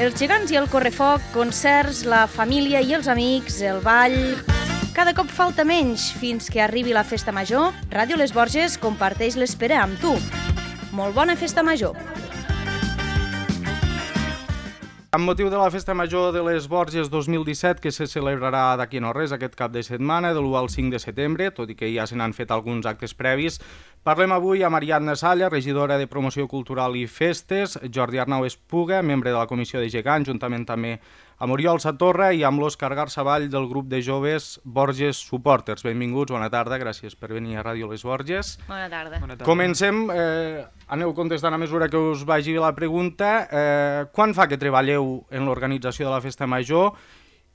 Els gegants i el correfoc, concerts, la família i els amics, el ball... Cada cop falta menys fins que arribi la festa major. Ràdio Les Borges comparteix l'espera amb tu. Molt bona festa major! Amb motiu de la Festa Major de les Borges 2017, que se celebrarà d'aquí no res aquest cap de setmana, de l'1 al 5 de setembre, tot i que ja se n'han fet alguns actes previs, parlem avui amb Ariadna Salla, regidora de Promoció Cultural i Festes, Jordi Arnau Espuga, membre de la Comissió de Gegants, juntament també amb Oriol Satorra i amb l'Òscar Garsavall del grup de joves Borges Supporters. Benvinguts, bona tarda, gràcies per venir a Ràdio Les Borges. Bona tarda. Comencem, aneu contestant a mesura que us vagi la pregunta. Quan fa que treballeu en l'organització de la Festa Major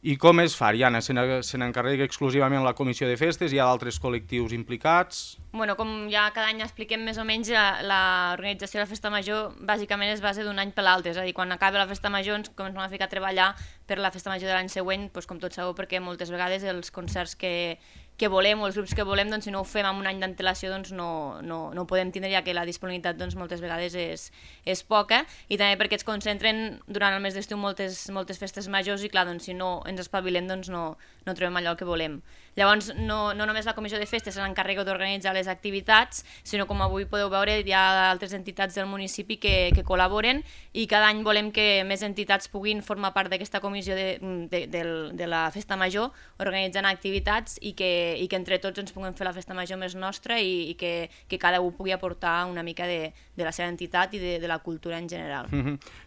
i com es fa, Ariadna? Se n'encarrega exclusivament la Comissió de Festes? Hi ha d'altres col·lectius implicats? Bueno, com ja cada any expliquem més o menys, l'organització de la Festa Major bàsicament es basa d'un any per l'altre, és a dir, quan acaba la Festa Major ens comencem a ficar a treballar per la Festa Major de l'any següent, doncs, com tots sabeu, perquè moltes vegades els concerts que volem o els grups que volem, doncs, si no ho fem amb un any d'antelació doncs, no ho podem tindre, ja que la disponibilitat doncs, moltes vegades és poca, i també perquè es concentren durant el mes d'estiu moltes festes majors i clar, doncs, si no ens espavilem doncs, no trobem allò que volem. Llavors, no només la Comissió de Festes se n'encarrega d'organitzar les activitats, sinó com avui podeu veure hi ha altres entitats del municipi que col·laboren i cada any volem que més entitats puguin formar part d'aquesta comissió de la Festa Major, organitzant activitats i que entre tots ens puguem fer la Festa Major més nostra i que cada un pugui aportar una mica de la seva entitat i de la cultura en general.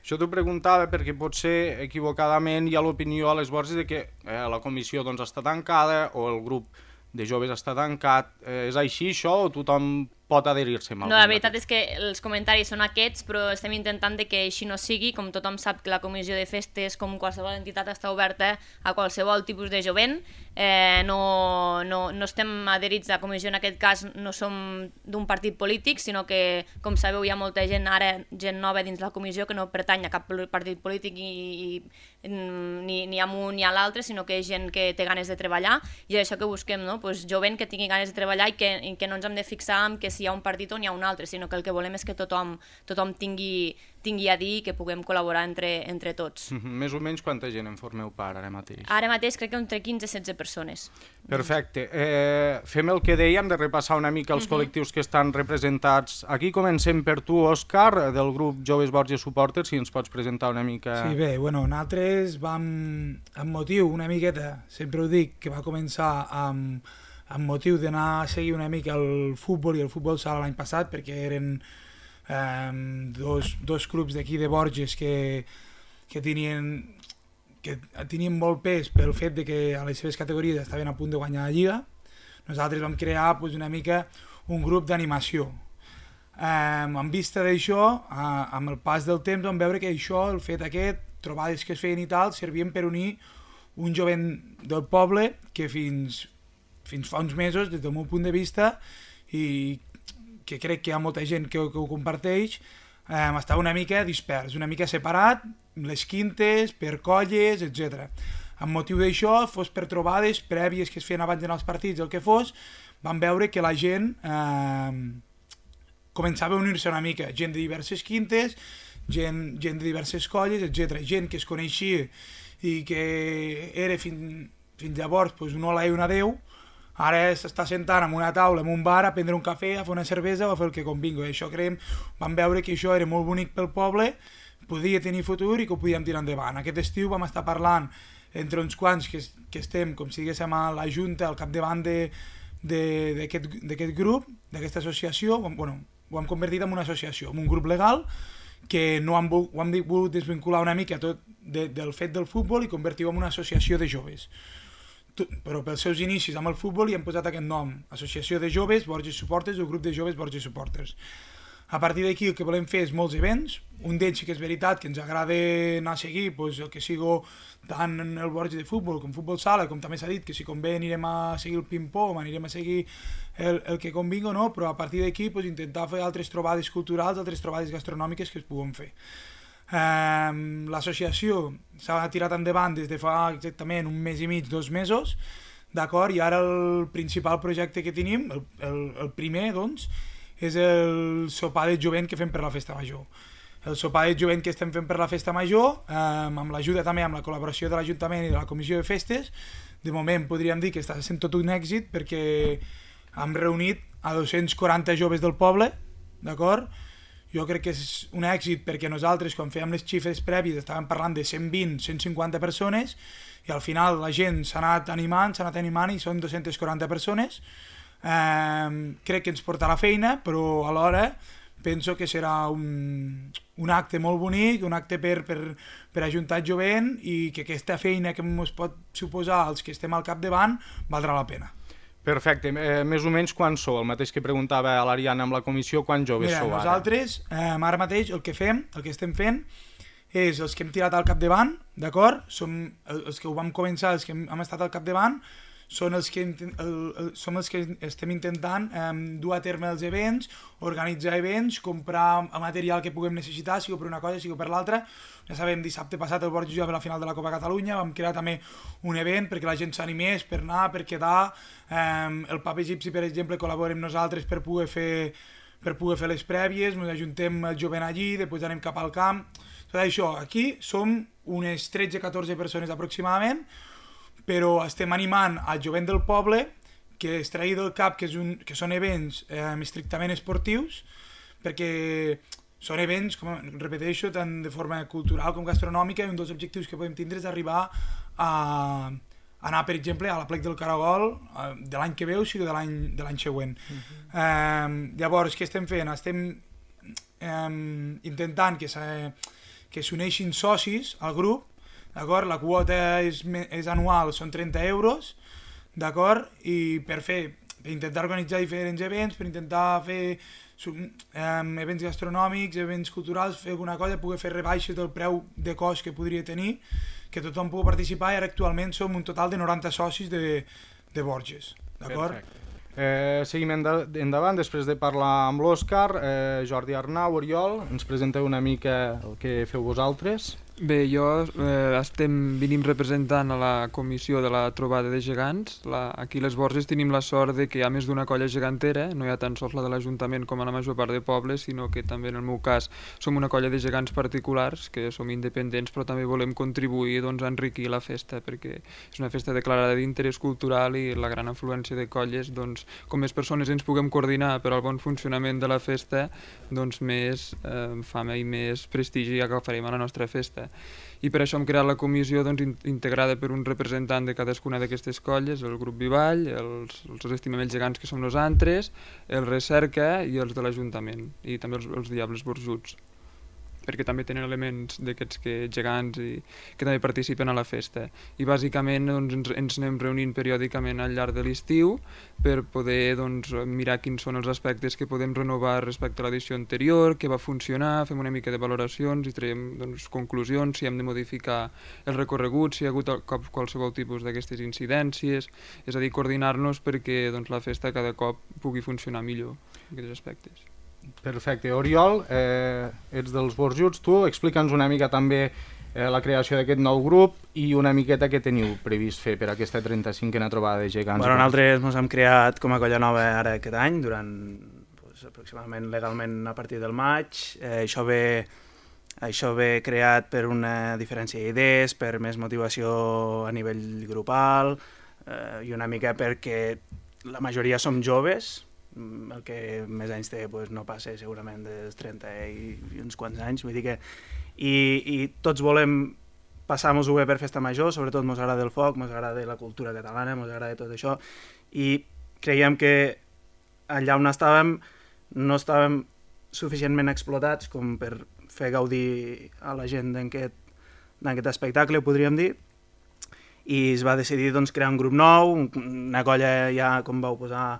Això t'ho preguntava perquè potser equivocadament hi ha l'opinió a les Borges de que la comissió doncs, està tancada o el grup de joves està tancat. És així això o tothom pot adherir-se? No, la veritat és que els comentaris són aquests, però estem intentant que així no sigui. Com tothom sap que la Comissió de Festes, com qualsevol entitat, està oberta a qualsevol tipus de jovent. No estem adherits a la comissió, en aquest cas no som d'un partit polític, sinó que, com sabeu, hi ha molta gent nova dins la comissió que no pertany a cap partit polític ni a un ni a l'altre, sinó que és gent que té ganes de treballar i és això que busquem, no? Pues, jovent que tingui ganes de treballar i que no ens hem de fixar en que si hi ha un partit o n'hi ha un altre, sinó que el que volem és que tothom tingui a dir i que puguem col·laborar entre tots. Més o menys quanta gent en formeu part ara mateix? Ara mateix crec que entre 15 i 16 persones. Perfecte. Fem el que dèiem de repassar una mica els col·lectius que estan representats aquí. Comencem per tu, Òscar, del grup Joves Borges Supporters, si ens pots presentar una mica... Sí, bé, nosaltres vam, amb motiu una miqueta, sempre ho dic, que va començar amb motiu d'anar a seguir una mica el futbol i el futbol sala l'any passat, perquè eren dos clubs d'aquí de Borges que tenien molt pes pel fet de que a les seves categories estaven a punt de guanyar la Lliga. Nosaltres vam crear una mica un grup d'animació. En vista d'això, amb el pas del temps vam veure que això, el fet aquest, trobades que es feien i tal, servien per unir un jovent del poble que fins fa uns mesos, des del meu punt de vista, i que crec que hi ha molta gent que ho comparteix, estava una mica dispers, una mica separat, les quintes, per colles, etc. Amb motiu d'això, fos per trobades prèvies que es feien abans en els partits, el que fos, vam veure que la gent començava a unir-se una mica, gent de diverses quintes, gent de diverses colles, etc. Gent que es coneixia i que era fins llavors un hola i un adeu, ara s'està sentant en una taula, en un bar, a prendre un cafè, a fer una cervesa o a fer el que convingui. Això vam veure que això era molt bonic pel poble, podia tenir futur i que ho podíem tirar endavant. Aquest estiu vam estar parlant entre uns quants que estem, com si diguéssim, a la Junta, al capdavant d'aquest grup, d'aquesta associació. Ho hem convertit en una associació, en un grup legal, que ho hem volgut desvincular una mica tot del fet del futbol i convertir-ho en una associació de joves. Però pels seus inicis amb el futbol hi hem posat aquest nom, Associació de Joves Borges Supporters o Grup de Joves Borges Supporters. A partir d'aquí el que volem fer és molts events, un d'ells sí que és veritat que ens agrada anar a seguir el que sigui tant el Borges de futbol com futbol sala, com també s'ha dit que si convé anirem a seguir el ping-pong, anirem a seguir el que convingui o no, però a partir d'aquí intentar fer altres trobades culturals, altres trobades gastronòmiques que es puguem fer. L'associació s'ha tirat endavant des de fa exactament un mes i mig, 2 mesos, d'acord? I ara el principal projecte que tenim, el primer, doncs, és el sopar de jovent que fem per la Festa Major. el sopar de jovent que estem fent per la festa major, amb l'ajuda també, amb la col·laboració de l'Ajuntament i de la Comissió de Festes. De moment podríem dir que està sent tot un èxit perquè hem reunit a 240 joves del poble, d'acord? Jo crec que és un èxit perquè nosaltres, quan fèiem les xifres prèvies, estàvem parlant de 120, 150 persones i al final la gent s'ha anat animant i són 240 persones. Crec que ens portarà feina, però alhora penso que serà un acte molt bonic, un acte per ajuntar jovent i que aquesta feina que ens pot suposar als que estem al capdavant valdrà la pena. Perfecte. Més o menys quan sou? El mateix que preguntava a l'Ariadna amb la comissió, quan joves sou ara? Nosaltres ara mateix el que estem fent és els que hem tirat al capdavant, d'acord? Som els que ho vam començar, els que hem estat al capdavant, som els que estem intentant dur a terme els events, organitzar events, comprar material que puguem necessitar, sigui per una cosa, sigui per l'altra. Ja sabem, dissabte passat el Borges jugava a la final de la Copa Catalunya, vam crear també un event perquè la gent s'animés, per anar, per quedar. El Papa Egipci, per exemple, col·labora amb nosaltres per poder fer les prèvies, ens ajuntem el jovent allí, després anem cap al camp. Tot això, aquí som unes 13-14 persones aproximadament, però estem animant al jovent del poble que es tregui del cap que són events estrictament esportius, perquè són events, com repeteixo, tant de forma cultural com gastronòmica, i un dels objectius que podem tindre és arribar a anar, per exemple, a la Plec del Caragol de l'any que ve o sigui de l'any següent. Llavors, què estem fent? Estem intentant que s'uneixin socis al grup, d'acord? La quota és anual, són 30 euros, d'acord? I per intentar organitzar diferents events, per intentar fer events gastronòmics, events culturals, fer alguna cosa, poder fer rebaixes del preu de cost que podria tenir, que tothom pugui participar, i ara actualment som un total de 90 socis de Borges, d'acord? Seguim endavant, després de parlar amb l'Òscar, Jordi Arnau, Oriol, ens presenteu una mica el que feu vosaltres. Bé, venim representant a la comissió de la trobada de gegants. Aquí a les Borges tenim la sort de que hi ha més d'una colla gegantera, no hi ha tan sols la de l'Ajuntament com a la major part de pobles, sinó que també en el meu cas som una colla de gegants particulars, que som independents, però també volem contribuir a enriquir la festa, perquè és una festa declarada d'interès cultural i la gran afluència de colles, com més persones ens puguem coordinar per al bon funcionament de la festa, més fama i més prestigi agafarem a la nostra festa. I per això hem creat la comissió integrada per un representant de cadascuna d'aquestes colles, el grup Vivall, els Estimaments Gegants, que som nosaltres, el Recerca i els de l'Ajuntament, i també els Diables Borjuts, perquè també tenen elements d'aquests gegants que també participen a la festa. I bàsicament ens anem reunint periòdicament al llarg de l'estiu per poder mirar quins són els aspectes que podem renovar respecte a l'edició anterior, què va funcionar, fem una mica de valoracions i traiem conclusions, si hem de modificar el recorregut, si hi ha hagut qualsevol tipus d'aquestes incidències, és a dir, coordinar-nos perquè la festa cada cop pugui funcionar millor en aquests aspectes. Perfecte. Oriol, ets dels Borjuts, tu explica'ns una mica també la creació d'aquest nou grup i una miqueta què teniu previst fer per aquesta 35a trobada de gegants. Nosaltres ens hem creat com a colla nova ara aquest any, durant aproximadament legalment a partir del maig. Això ve creat per una diferència d'idees, per més motivació a nivell grupal i una mica perquè la majoria som joves. El que més anys té no passa segurament dels 30 i uns quants anys, vull dir que i tots volem passar-nos-ho bé per festa major, sobretot ens agrada el foc, ens agrada la cultura catalana, ens agrada tot això, i creiem que allà on estàvem no estàvem suficientment explotats com per fer gaudir a la gent d'aquest espectacle, podríem dir, i es va decidir crear un grup nou, una colla ja com vau posar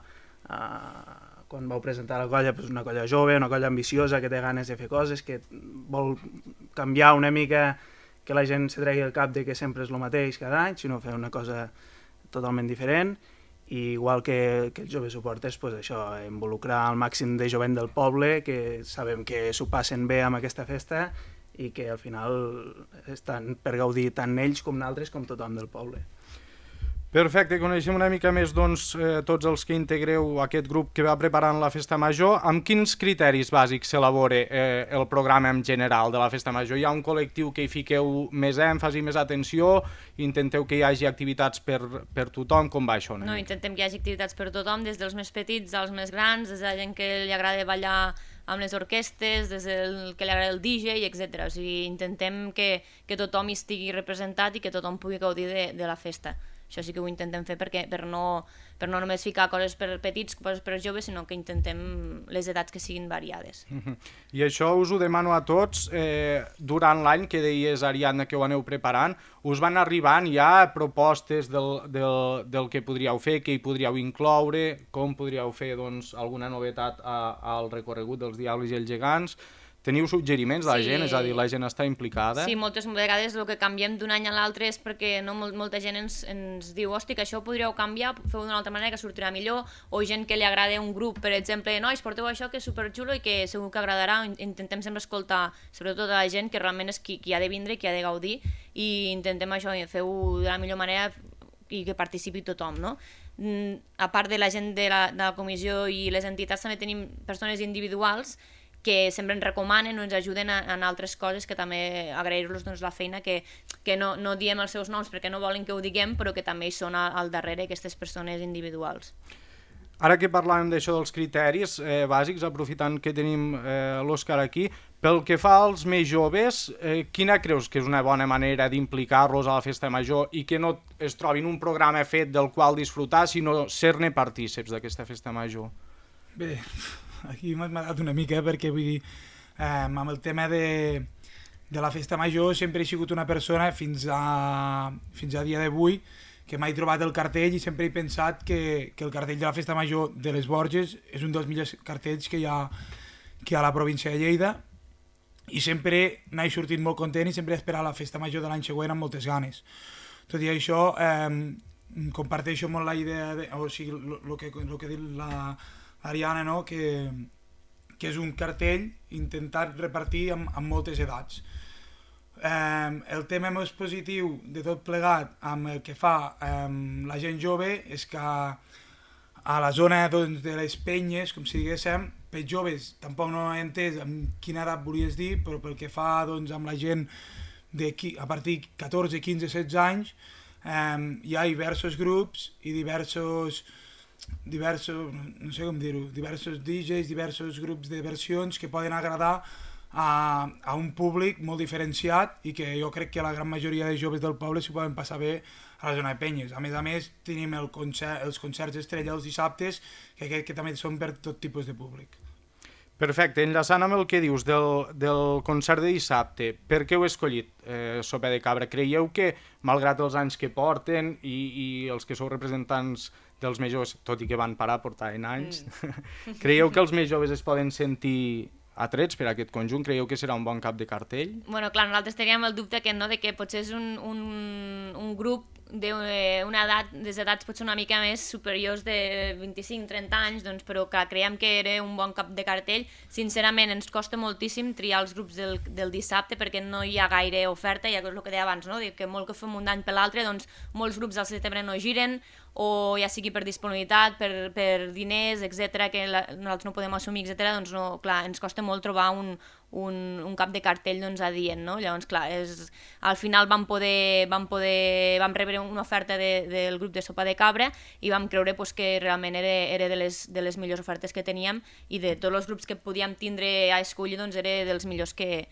quan vau presentar la colla, una colla jove, una colla ambiciosa, que té ganes de fer coses, que vol canviar una mica, que la gent se tregui el cap de que sempre és el mateix cada any, sinó fer una cosa totalment diferent, i igual que els joves suporters, això, involucrar al màxim de jovent del poble, que sabem que s'ho passen bé amb aquesta festa i que al final estan per gaudir tant ells com nosaltres com tothom del poble. Perfecte, coneixem una mica més doncs, tots els que integreu aquest grup que va preparant la Festa Major. Amb quins criteris bàsics s'elabora el programa en general de la Festa Major? Hi ha un col·lectiu que hi fiqueu més èmfasi, més atenció? Intenteu que hi hagi activitats per tothom? Com va això? No, intentem que hi hagi activitats per tothom, des dels més petits als més grans, des de la gent que li agrada ballar amb les orquestes, des del que li agrada el DJ, etc. O sigui, intentem que tothom hi estigui representat i que tothom pugui gaudir de la festa. Això sí que ho intentem fer per no només ficar coses per petits, coses per joves, sinó que intentem les edats que siguin variades. I això us ho demano a tots. Durant l'any, que deies, Ariadna, que ho aneu preparant, us van arribant ja propostes del que podríeu fer, que hi podríeu incloure, com podríeu fer doncs, alguna novetat al recorregut dels Diables i els Gegants? Teniu suggeriments de la gent? És a dir, la gent està implicada? Sí, moltes vegades el que canviem d'un any a l'altre és perquè molta gent ens diu hosti, que això ho podríeu canviar, feu d'una altra manera que sortirà millor, o gent que li agrada un grup, per exemple, nois, porteu això que és superxulo i que segur que agradarà. Intentem sempre escoltar, sobretot a la gent que realment és qui ha de vindre i qui ha de gaudir, i intentem això, fer-ho de la millor manera i que participi tothom, no? A part de la gent de la comissió i les entitats, també tenim persones individuals que sempre ens recomanen o ens ajuden en altres coses, que també agrair-los doncs, la feina, que no diem els seus noms perquè no volen que ho diguem, però que també hi són al darrere aquestes persones individuals. Ara que parlàvem d'això dels criteris bàsics, aprofitant que tenim l'Òscar aquí, pel que fa als més joves, quina creus que és una bona manera d'implicar-los a la Festa Major i que no es trobin un programa fet del qual disfrutar, sinó ser-ne partíceps d'aquesta Festa Major? Bé, aquí m'has matat una mica, perquè vull dir, amb el tema de la Festa Major sempre he sigut una persona fins a dia d'avui que mai he trobat el cartell i sempre he pensat que el cartell de la Festa Major de les Borges és un dels millors cartells que hi ha a la província de Lleida, i sempre n'he sortit molt content i sempre he esperat la Festa Major de l'any següent amb moltes ganes. Tot i això, comparteixo molt la idea, o sigui, el que ha dit l'Ariadna, no? que és un cartell intentat repartir amb moltes edats. El tema més positiu de tot plegat amb el que fa la gent jove és que a la zona doncs, de les penyes, com si diguéssim, pels joves tampoc no he entès amb quina edat volies dir, però pel que fa doncs, amb la gent a partir de 14, 15, 16 anys, hi ha diversos grups i diversos, no sé com dir-ho, diversos DJs, diversos grups de versions que poden agradar a un públic molt diferenciat i que jo crec que la gran majoria de joves del poble s'hi poden passar bé a la zona de Penyes. A més, tenim els concerts estrella els dissabtes, que crec que també són per tot tipus de públic. Perfecte, enllaçant amb el que dius del concert de dissabte, per què heu escollit Sopa de Cabra? Creieu que, malgrat els anys que porten i els que sou representants dels més joves, tot i que van parar portant anys, creieu que els més joves es poden sentir atrets per aquest conjunt? Creieu que serà un bon cap de cartell? Bueno, clar, nosaltres teníem el dubte de que potser és un grup d'una edat, des d'edats potser una mica més superiors de 25-30 anys, doncs, però que creiem que era un bon cap de cartell. Sincerament, ens costa moltíssim triar els grups del dissabte perquè no hi ha gaire oferta, ja és el que deia abans, no? Que molt que fem un any per l'altre, doncs molts grups al setembre no giren, o ja sigui per disponibilitat, per diners, etc, que nosaltres no podem assumir, etc, doncs no, clar, ens costa molt trobar un cap de cartell doncs, adient, no? Llavors, clar, al final vam rebre una oferta del grup de Sopa de Cabra i vam creure pues, que realment era de les millors ofertes que teníem, i de tots els grups que podíem tindre a escollir doncs, era dels millors que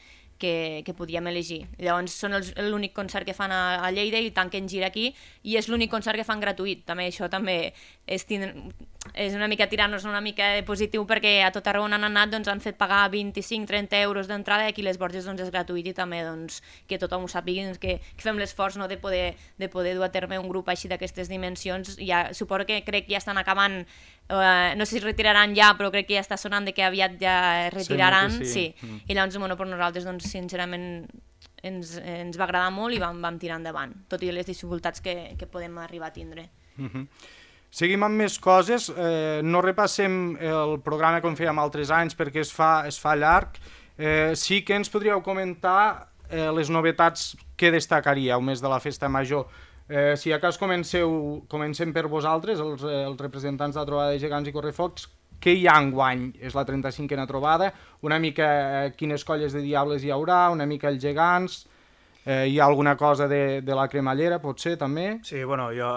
podíem elegir. Llavors són l'únic concert que fan a Lleida i tanquen gira aquí, i és l'únic concert que fan gratuït. També això també és una mica tirant-nos una mica de positiu, perquè a tot arreu on han anat doncs, han fet pagar 25-30 euros d'entrada, i aquí a les Borges doncs, és gratuït, i també doncs, que tothom ho sàpiga, que fem l'esforç, no, de poder dur a terme un grup així d'aquestes dimensions. Ja, suposo que crec que ja estan acabant, no sé si es retiraran ja, però crec que ja està sonant de que aviat ja es retiraran. Sí. I llavors, bueno, per nosaltres, doncs, sincerament, ens va agradar molt i vam tirar endavant, tot i les dificultats que podem arribar a tindre. Seguim amb més coses. No repassem el programa com fèiem altres anys perquè es fa llarg. Sí que ens podríeu comentar les novetats que destacaríeu més de la Festa Major. Si a cas comencem per vosaltres, els representants de la trobada de gegants i correfocs, què hi ha enguany? És la 35a trobada, una mica quines colles de diables hi haurà, una mica els gegants, hi ha alguna cosa de la cremallera, potser, també? Sí, bueno, jo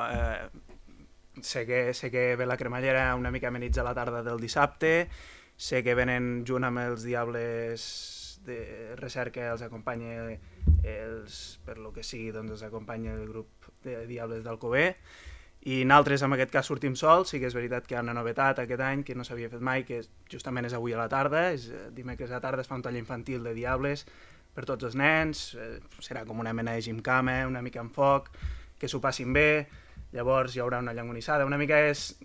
sé que ve la cremallera una mica amenits a la tarda del dissabte, sé que venen junt amb els diables de recerca, els acompanya per lo que sigui, doncs els acompanya el grup de diables d'Alcover, i nosaltres en aquest cas sortim sols. Sí que és veritat que hi ha una novetat aquest any que no s'havia fet mai, que justament és avui a la tarda, dimecres a la tarda es fa un taller infantil de diables per tots els nens, serà com una mena de gimcama, una mica amb foc, que s'ho passin bé, llavors hi haurà una llangonissada, una mica és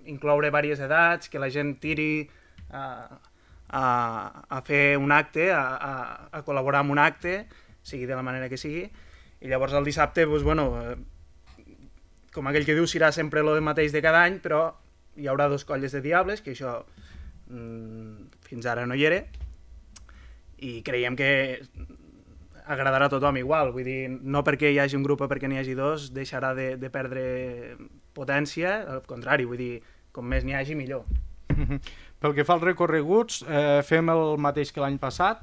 incloure diverses edats, que la gent tiri a fer un acte, a col·laborar amb un acte, sigui de la manera que sigui, i llavors el dissabte, doncs, bueno, com aquell que diu, serà sempre el mateix de cada any, però hi haurà 2 colles de diables, que això fins ara no hi era, i creiem que agradarà a tothom igual, vull dir, no perquè hi hagi un grup o perquè n'hi hagi 2 deixarà de perdre potència, al contrari, vull dir, com més n'hi hagi millor. Pel que fa als recorreguts, fem el mateix que l'any passat?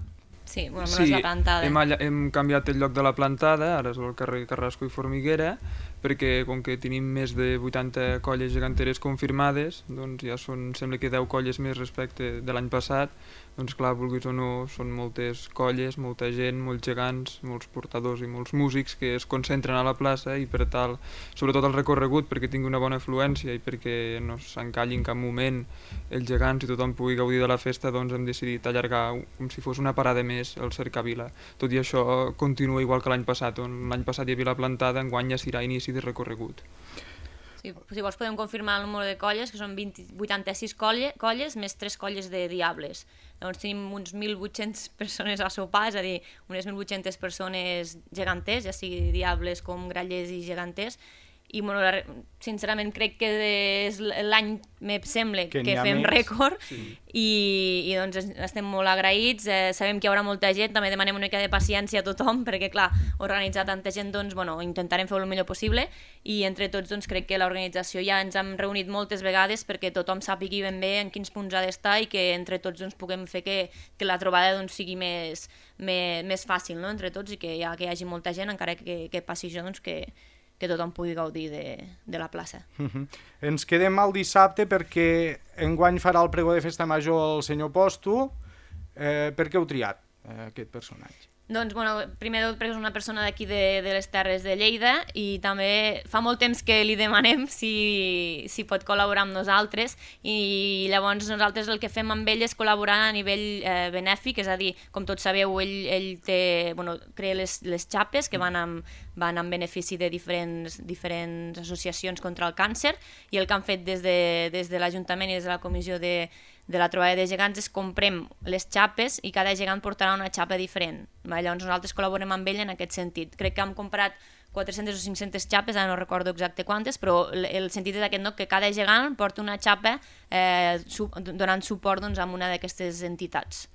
Sí, bueno, és la plantada. Hem canviat el lloc de la plantada, ara és el carrer Carrasco i Formiguera, perquè com que tenim més de 80 colles geganteres confirmades, doncs ja sembla que 10 colles més respecte de l'any passat, doncs clar, vulguis o no, són moltes colles, molta gent, molts gegants, molts portadors i molts músics que es concentren a la plaça i per tal, sobretot el recorregut, perquè tingui una bona afluència i perquè no s'encalli en cap moment els gegants i tothom pugui gaudir de la festa, doncs hem decidit allargar com si fos una parada més el Cercavila. Tot i això continua igual que l'any passat, on l'any passat hi havia la plantada, enguany ja serà inici de recorregut. Sí, si vols podem confirmar el número de colles, que són 86 colles més 3 colles de diables. Llavors tenim uns 1.800 persones a sopar, és a dir, unes 1.800 persones geganters, ja sigui diables com grallers i geganters, i bueno, sincerament crec que és l'any, me sembla, que fem rècord, sí. I doncs estem molt agraïts, sabem que hi haurà molta gent, també demanem una mica de paciència a tothom, perquè clar, organitzar tanta gent, doncs bueno, intentarem fer-ho el millor possible, i entre tots doncs crec que l'organització ja ens hem reunit moltes vegades perquè tothom sàpigui ben bé en quins punts ha d'estar i que entre tots doncs puguem fer que la trobada doncs sigui més fàcil, no?, entre tots, i que hi hagi molta gent, encara que passi això, doncs que tothom pugui gaudir de la plaça. Ens quedem al dissabte perquè enguany farà el pregó de festa major el senyor Posto. Per què heu triat aquest personatge? Doncs, bueno, primer de tot perquè és una persona d'aquí de les Terres de Lleida i també fa molt temps que li demanem si pot col·laborar amb nosaltres i llavors nosaltres el que fem amb ell és col·laborar a nivell benèfic, és a dir, com tots sabeu, ell crea les xapes que van en benefici de diferents associacions contra el càncer i el que han fet des de l'Ajuntament i des de la Comissió de la trobada de gegants és comprem les xapes i cada gegant portarà una xapa diferent. Llavors nosaltres col·laborem amb ell en aquest sentit. Crec que hem comprat 400 o 500 xapes, ara no recordo exacte quantes, però el sentit és aquest, no?, que cada gegant porta una xapa donant suport doncs, a una d'aquestes entitats.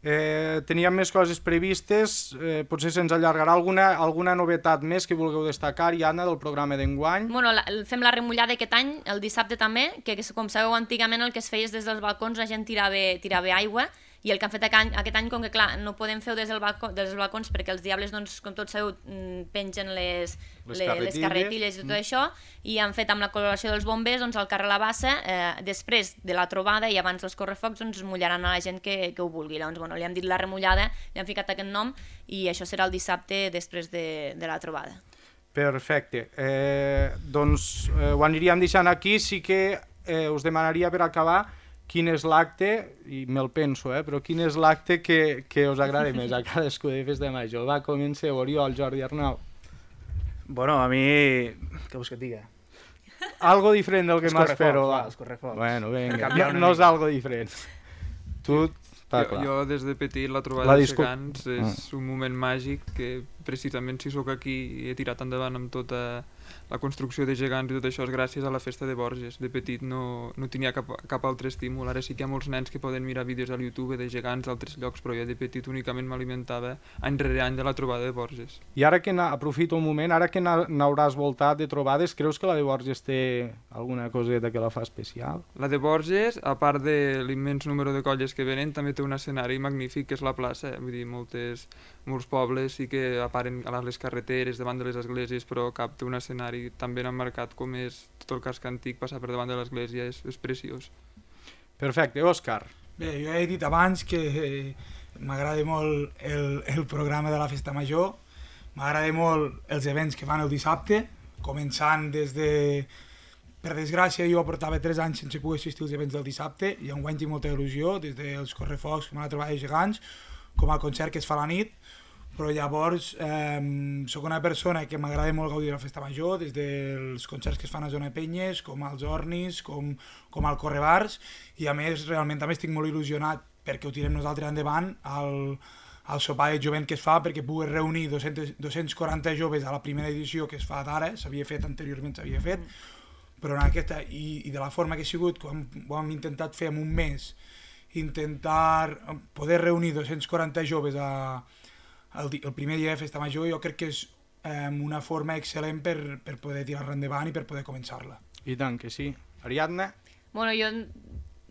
Teníem més coses previstes, potser se'ns allargarà alguna novetat més que vulgueu destacar, Anna, del programa d'enguany? Bueno, fem la remullada aquest any, el dissabte també, que com sabeu antigament el que es feia és des dels balcons la gent tirava aigua, i el que han fet aquest any, com que clar, no podem fer-ho des dels balcons perquè els diables, doncs, com tots sabeu, pengen les carretilles i tot això, i han fet amb la col·laboració dels bombers doncs, al carrer La Bassa, després de la trobada i abans dels correfocs, doncs, es mullaran a la gent que ho vulgui. Llavors, bueno, li han dit la remullada, li han ficat aquest nom, i això serà el dissabte després de la trobada. Perfecte. Doncs ho aniríem deixant aquí. Sí que us demanaria per acabar quin és l'acte, i me'l penso, però quin és l'acte que us agrada més a cadascú de festa major? Va, comença Oriol, Jordi, Arnau. Bueno, a mi... Què vols que et diga? Algo diferent del que m'espero. Els correfocs. Bueno, vinga, no és algo diferent. Tu... Jo des de petit la trobada de gegants és un moment màgic que precisament si sóc aquí he tirat endavant amb tota la construcció de gegants i tot això és gràcies a la festa de Borges. De petit no tenia cap altre estímul. Ara sí que hi ha molts nens que poden mirar vídeos a YouTube de gegants d'altres llocs, però jo de petit únicament m'alimentava any rere any de la trobada de Borges. I ara que aprofito un moment, ara que n'hauràs voltat de trobades, creus que la de Borges té alguna coseta que la fa especial? La de Borges, a part de l'immens número de colles que venen, també té un escenari magnífic, que és la plaça. Vull dir, molts pobles sí que aparen a les carreteres, davant de les esglésies, però cap té un escenari tan ben emmarcat com és tot el casc antic, passar per davant de l'església és preciós. Perfecte. Òscar. Bé, jo he dit abans que m'agrada molt el programa de la Festa Major, m'agrada molt els events que fan el dissabte, començant des de... Per desgràcia, jo portava 3 anys sense poder assistir als events del dissabte i enguany tinc molta il·lusió, des dels correfocs, com a la trobada de gegants, com al concert que es fa a la nit, però llavors sóc una persona que m'agrada molt gaudir de la Festa Major, des dels concerts que es fan a Zona Penyes, com als Ornis, com al Correbars, i a més realment també estic molt il·lusionat perquè ho tirem nosaltres endavant al sopar de jovent que es fa, perquè pugui reunir 240 joves a la primera edició que es fa d'ara, anteriorment s'havia fet, però en aquesta, i de la forma que ha sigut, ho hem intentat fer en un mes, intentar poder reunir 240 joves el primer dia de Festa Major, jo crec que és una forma excel·lent per poder tirar-la endavant i per poder començar-la. I tant que sí. Ariadna? Bueno, jo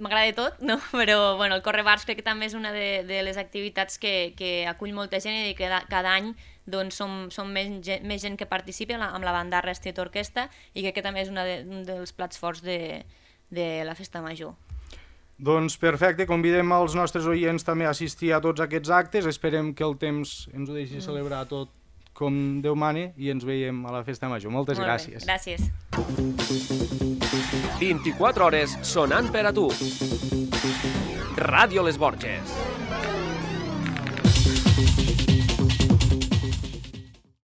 m'agrada tot, no? Però el Correbars crec que també és una de les activitats que acull molta gent i que cada any doncs, som més gent que participa amb la bandarra Street Orquestra i crec que també és un dels plats forts de la Festa Major. Doncs perfecte, convidem els nostres oients també a assistir a tots aquests actes, esperem que el temps ens ho deixi celebrar tot com Déu mani i ens veiem a la Festa Major. Moltes gràcies. Gràcies. 24 hores sonant per a tu. Ràdio Les Borges.